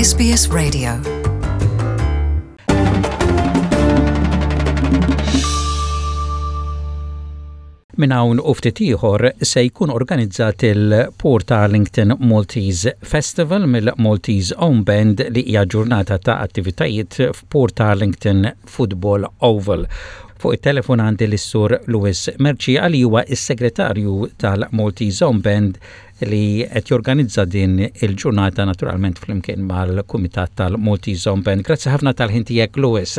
SBS Radio. Minn hawn u ftit ieħor se jkun organizzat il-Port Arlington Maltese Festival mill-Maltese Own Band li hija ġurnata ta' attivitajiet f'Port Arlington Football Oval. Fuq it-telefon għandi lis-Sur Louis Mercieca li huwa s-Segretarju tal-Maltese Own Band li qed jorganizza din il-ġurnata naturalment flimkien mal-Kumitat tal-Maltese Own Band. Grazzi ħafna tal-ħin tiegħek Louis.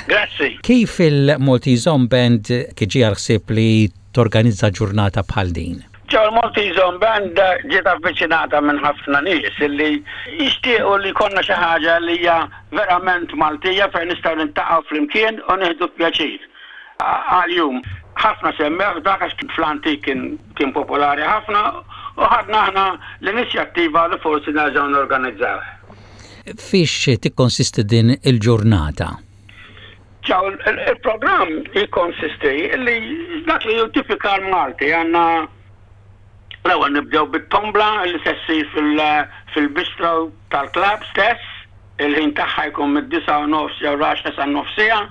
Grazzi. Kif il-Maltese Own Band ġie għall-ħsieb li torganizza ġurnata bħal din? Ġew il-Maltese Own Band ġiet avviċinata minn ħafna nies li jixtiequ li jkollna xi ħaġa li hija verament Maltija fejn nistgħu niltaqgħu flimkien u nieħdu pjaċir għal jum. Ħafna semmewh dak għax fl-antik kien popolari ħafna u ħadna aħna l-inizjattiva li forsi nerġgħu norganizzawh. Fiex tikkonsisti din il-ġurnata? Ċaw, il-programm jikkonsisti li dak li hu tipikal Malti għandna l-ewwel nibdew bit-tombla li se ssir fil-bistro tal-klabb stess, il-ħin tagħha jkun mid-disgħa u nofs jew l-għaxra san-nofs siegħa,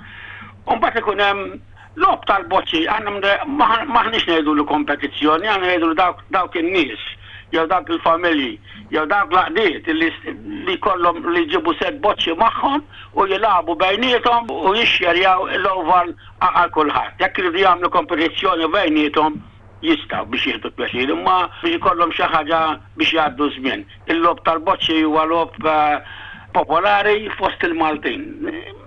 u mbagħad ikun hemm logħob tal-boċċi, aħna m'aħniex ngħidulu kompetizzjoni, aħna ngħidulu dawk in-nies jew dawk il-familji jew dawk l-għaqdiet li jkollhom li jġibu sett boċċi magħhom u jilagħbu bejniethom u jixxerjaw l-oval għal kulħadd. Jekk iridu jagħmlu kompetizzjoni bejniethom jistgħu biex jieħdu pjaċir, imma biex ikollhom xi ħaġa biex jgħaddu ż-żmien. Il-logħob tal-boċċi huwa logħob popolari fost il-Maltin.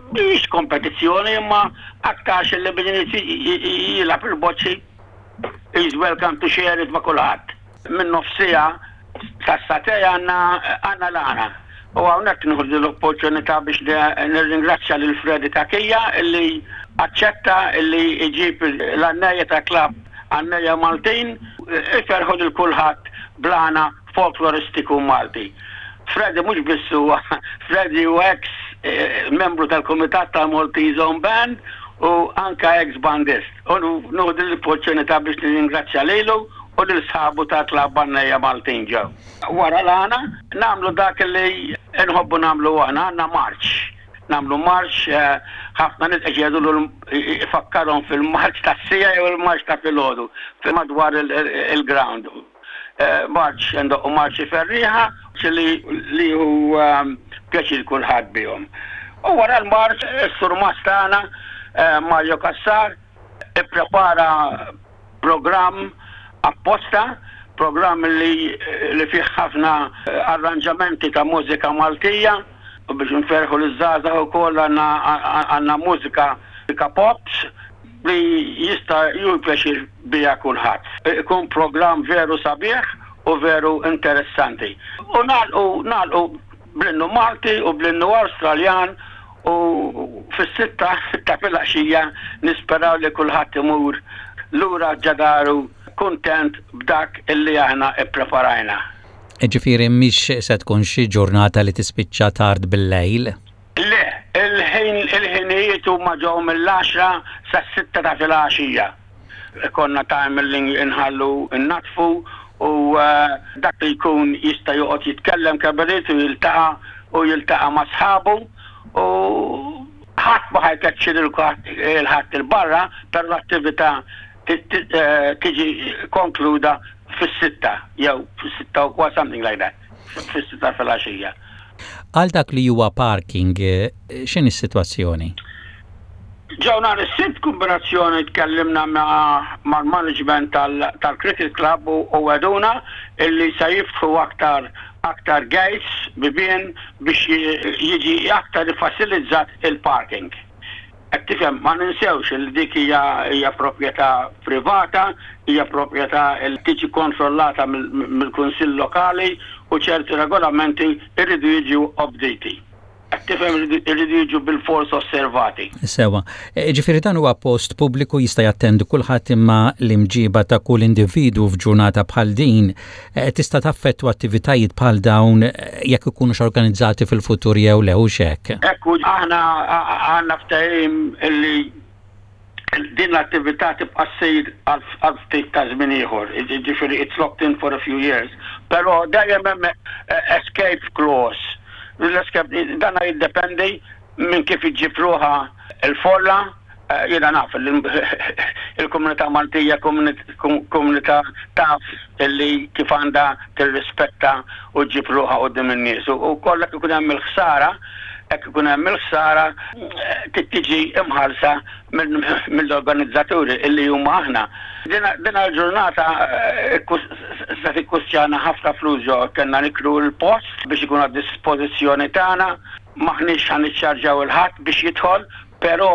Mhijiex kompetizzjoni imma aktarx li min irid jilgħab il-boċċi is welcome to share it ma' kulħadd. Minn nofs siegħa sas-sagħtej għandna għandna l-għana. U hawnhekk nieħu din l-opportunità biex nirringrazzja lil Freddy Cachia li aċċetta li jġib l-għannejja ta' klabb Għannejja Maltin iferrħu lil kulħadd bl-għana folkloristiku Malti. Freddy mhux biss huwa Freddy huwa eks membru tal-kumitat tal-Maltese Own Band u anke eks bandist. U nieħu din l-opportunità biex nirringrazzja lilu u lil sħabu tal-klabb Għannejja Maltin ġew. Wara l-għana, nagħmlu dak li nħobbu nagħmlu aħna, għandna marċ. Nagħmlu marċ, ħafna nies qed jgħidulu ifakkarhom fil-marċ tas-siegħa jew il-marċ ta' filgħodu madwar il-ground. Marċ, indoqqu marċi ferrieħa li jieħu pjaċir kulħadd bihom. U wara l-marċ, is-surmast tagħna, Mario Cassar, ipprepara programm apposta, programm li li fih ħafna arranġamenti ta' mużika Maltija u biex nferrħu liż-żgħażagħ ukoll għandna għandna mużika pops li jista' jieħu pjaċir biha kulħadd. Ikun programm veru sabiħ u veru interessanti. U nagħlqu nagħlqu bl-innu Malti u bl-innu Awstraljan u fis-sitta ta' filgħaxija nisperaw li kulħadd imur lura ġa daru kuntent b'dak illi aħna ppreparajna. Jiġifieri mhix se tkun xi ġurnata li tispiċċa tard bil-lejl? Le, il-ħin il-ħinijiet huma ġew mill-għaxra sas-sitta ta' filgħaxija. Ikollna time li nħallu nnaddfu u dak li jkun jista' joqgħod jitkellem kemm irid u jiltaqa' u jiltaqa' ma' sħabu u ħadd ma ħa jkeċċi lil ħadd 'il barra però l-attività tiġi konkluda fis-sitta jew fis-sitta u kwart something like that, fis-sitta filgħaxija. Għal dak li huwa parking, x'inhi s-sitwazzjoni? Ġew nhar is-Sibt kombinazzjoni tkellimna mal-management tal-Cricket Club u wegħduna illi se jiftħu aktar aktar gates, bibien, biex jiġi aktar iffasilizzat il-parking. Qed tifhem, ma ninsewx li dik hija hija proprjetà privata, hija proprjetà li tiġi kontrollata mill-Kunsill Lokali u ċerti regolamenti jridu jiġu obditi. Qed tifhem iridu jiġu bilfors osservati. Sewwa. Jiġifieri dan huwa post pubbliku jista' jattendi kulħadd imma l-imġiba ta' kull individwu f'ġurnata bħal din tista' taffettwa attivitajiet bħal dawn jekk ikunux organizzati fil-futur jew le, hux hekk? Hekk hu. Aħna għandna ftehim illi din l-attività tibqa' ssir għal ftit ta' żmien ieħor, jiġifieri it's locked in for a few years, però dejjem hemm escape clause. Dana jiddependi minn kif iġġib ruħha l-folla. Jiena naf li l-komunità Maltija komunità taf li kif għandha tirrispetta u ġġib ruħha quddiem in-nies. U kollha ikun hemm il-ħsara, hekk ikun hemm il-ħsara tiġi imħallsa mill-organizzaturi illi huma aħna. Dina l-ġurnata se tikkustjana ħafna flus ġo kellna nikru l-post biex ikun għad-dispożizzjoni tagħna, m'aħniex ħa niċċarġjaw il-ħadd biex jidħol, però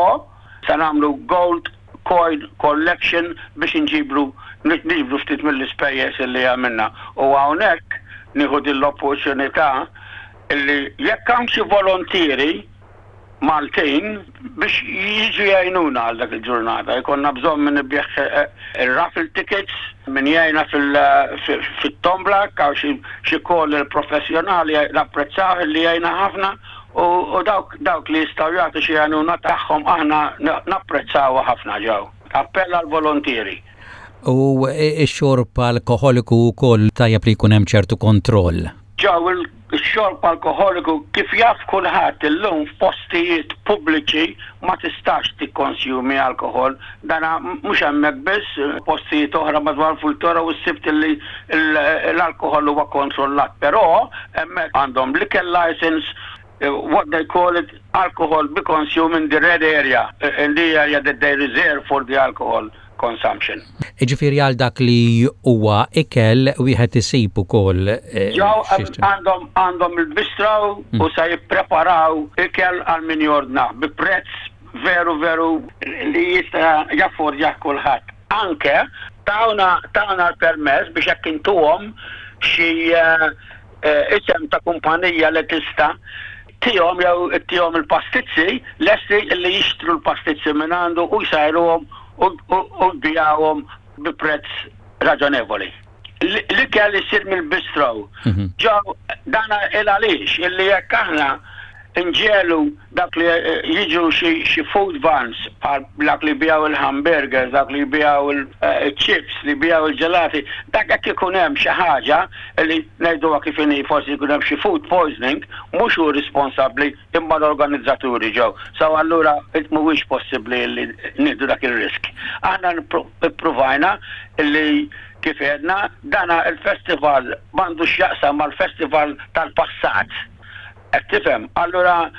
se nagħmlu gold coin collection biex inġibru niġbru ftit mill-ispejjeż illi għamilna. U hawnhekk nieħu din l-opportunità illi jekk hawn xi volontieri Maltin biex jiġu jgħinuna għal dak il-ġurnata. Jkollna bżonn min ibigħ ir-raffle tickets, min jgħinna fit-tombla, hawn xi caller professjonali napprezzaw li jgħinna ħafna u dawk dawk li jistgħu jagħtu xi għajnuna tagħhom aħna napprezzawha ħafna ġew. Appell għall-volontieri. U x-xorb alkoħoliku wkoll tajjeb li jkun hemm ċertu kontroll. Ġew ix-xorb alkoħoliku kif jaf kulħadd illum f'postijiet pubbliċi ma tistax tikkonsjumi alkoħol. Dana mhux hemmhekk biss, postijiet oħra madwar Fultora u ssibt li l-alkoħol huwa kontrollat, però hemmhekk għandhom liquor license, what they call it, alcohol be consumed in the red area, in the area that they reserve for the alcohol consumption. Ġifieri għal dak li huwa ikel wieħed isib ukoll. Ġew għandhom għandhom il-bistro u se jippreparaw ikel għal min jordna bi prezz veru veru li jista' jaffordjah kulħadd. Anke tawna tawna l-permess biex hekk intuhom xi isem ta' kumpanija li tista' tihom jew ittihom il-pastizzi lesti li jixtru l-pastizzi minn għandu u jsajruhom u jbigħuhom bi prezz raġonevoli. L-ikel isir mill-bistro. Ġew dana il għaliex illi jekk aħna nġegħlu dak li jiġu xi food vans bħal dak li jbigħu il-hamburgers, dak li jbigħu il-chips, li jbigħu il-ġelati, dak jekk ikun hemm xi ħaġa li ngħiduha kif inhi forsi jkun hemm xi food poisoning, mhux hu responsabbli imma l-organizzaturi ġew. So allura mhuwiex possibbli li nieħdu dak ir-risk. Aħna ippruvajna li kif għedna dana il-festival m'għandux x'jaqsam mal-festival tal-passat. Qed tifhem? Allura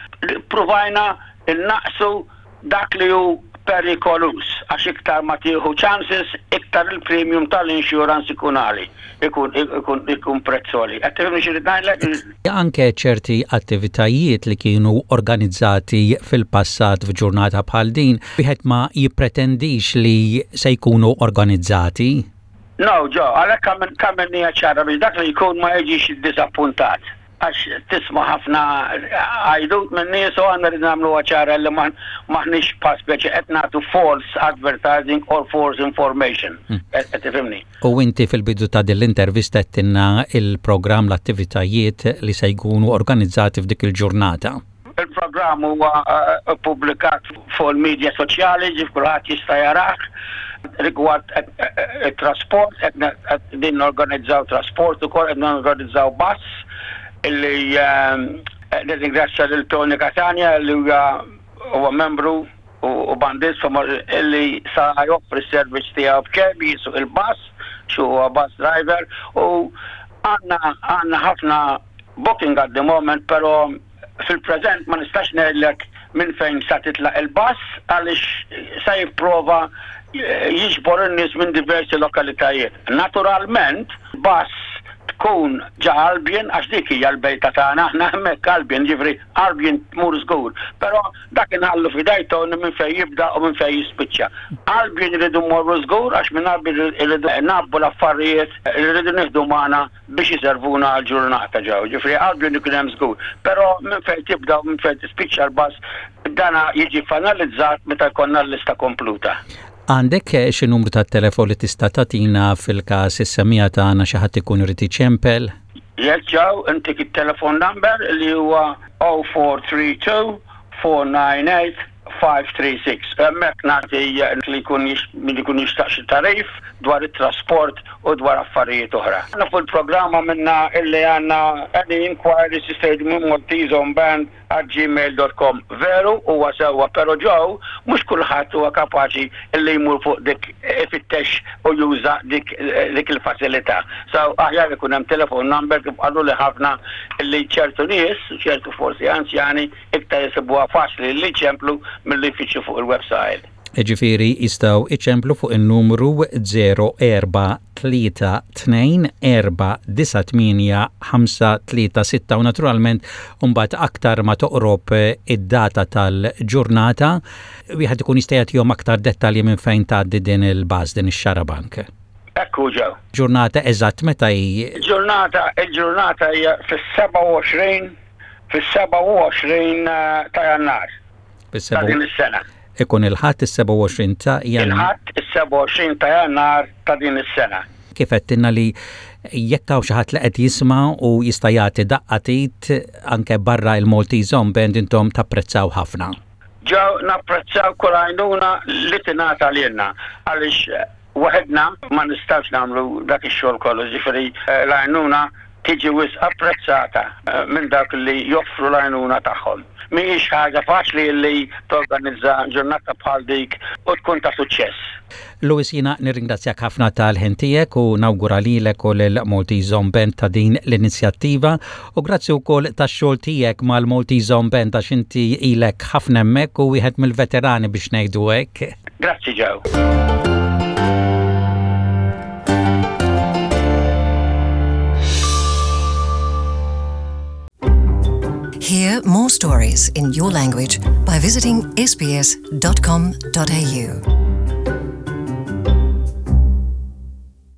ppruvajna nnaqqsu dak li hu perikoluż għax iktar ma tieħu chances iktar il-premium tal-insurance ikun għali, ikun ikun ikun prezz għoli. Qed tifhimni xi rrid ngħidlek? Anke ċerti attivitajiet li kienu organizzati fil-passat f'ġurnata bħal din, wieħed ma jippretendix li se jkunu organizzati. No, Joe, għalhekk għamilniha ċara biex dak li jkun ma jiġix iddiżappuntat. Għax tisma' ħafna għajdut minn nies u aħna rridu nagħmluha ċara li m'aħniex bħal speċi qed nagħtu false advertising or false information. Qed tifhimni? U inti fil-bidu ta' din l-intervista għedtilna l-programm, l-attivitajiet li se jkunu organizzati f'dik il-ġurnata. Il-programm huwa ppubblikat fuq il-midja soċjali, ġif kulħadd jista' jarah. Rigward it-trasport, qegħdin norganizzaw trasport ukoll, qed norganizzaw bus illi nirringrazzja lil Tony Catania li huwa membru u bandist illi sa joffri s-servizz tiegħu b'xejn jisuq il-bus, xi huwa bus driver u għandna għandna ħafna booking at the moment, però fil-preżent ma nistax ngħidlek minn fejn sa titlaq il-bus għaliex sa jipprova jiġbor in-nies minn diversi lokalitajiet. Naturalment, bus tkun ġa Albion għax dik hija l-bejta tagħna aħna hemmhekk Albion, ġifieri Albion tmur żgur. Però dak inħallu f'idej Tony minn fejn jibda u minn fejn jispiċċa. Albion irridu mmorru żgur għax minn Albion irridu ngħabbu l-affarijiet li rridu nieħdu magħna biex iservuna għall-ġurnata ġew. Ġifieri Albion ikun hemm żgur. Però minn fejn tibda u minn fejn tispiċċa l-bus dana jiġi finalizzat meta jkollna l-lista kompluta. Għandek xi numru tat-telefon li tista' tagħtina fil-każ is-semmiegħa tagħna xi ħadd ikun irid iċempel? Yes Joe, intik it-telephone number li huwa 0432 498. 536. Hemmhekk nagħti li jkun min ikun jixtaq xi tagħrif dwar it-trasport u dwar affarijiet oħra. Aħna fuq il-programm għamilna illi għandna any inquiries jistgħu jiġu minn malteseonband at gmail dot com. Veru huwa sewwa però Joe mhux kulħadd huwa kapaċi illi jmur fuq dik ifittex u juża dik dik il-faċilità. So aħjar ikun hemm telephone number kif qaluli ħafna illi ċertu nies, ċertu forsi anzjani, Iktar isibuha faċli li jċemplu milli jfittxu fuq il-website. Jiġifieri jistgħu jċemplu fuq in-numru 0432 498 536 u naturalment imbagħad aktar ma toqrob id-data tal-ġurnata wieħed ikun jista' jagħtihom aktar dettalji minn fejn tgħaddi din il-bus, din ix-xarabank. Hekk hu Joe. Ġurnata eżatt meta hi? Il-ġurnata, il-ġurnata hija fis-27 Fis-27 ta' Jannar ta' din is-sena. Ikun il-Ħadd is-27 ta' Jannar. Il-Ħadd is-27 ta' Jannar ta' din is-sena. Kif għedtilna li jekk hawn xi ħadd li qed jisma' u jista' jagħti daqqa t'id anke barra il-Maltese Home Band intom tapprezzaw ħafna. Ġew napprezzaw kull għajnuna li tingħata lilna għaliex Waħedna ma nistgħux nagħmlu dak ix-xogħol kollu, jiġifieri l-għajnuna tiġi wisq apprezzata minn dawk li joffru l-għajnuna tagħhom. Mhijiex ħaġa faċli li torganizza ġurnata bħal dik u tkun ta' suċċess. Louis jiena nirringrazzjak ħafna tal-ħin tiegħek u nawgura lilek u lil Maltese Zone Band ta' din l-inizjattiva u grazzi wkoll tax-xogħol tiegħek mal-Maltese Zone Band għax inti ilek ħafna hemmhekk u wieħed mill-veterani biex ngħidu hekk. Grazzi Joe. Hear more stories in your language by visiting sbs.com.au.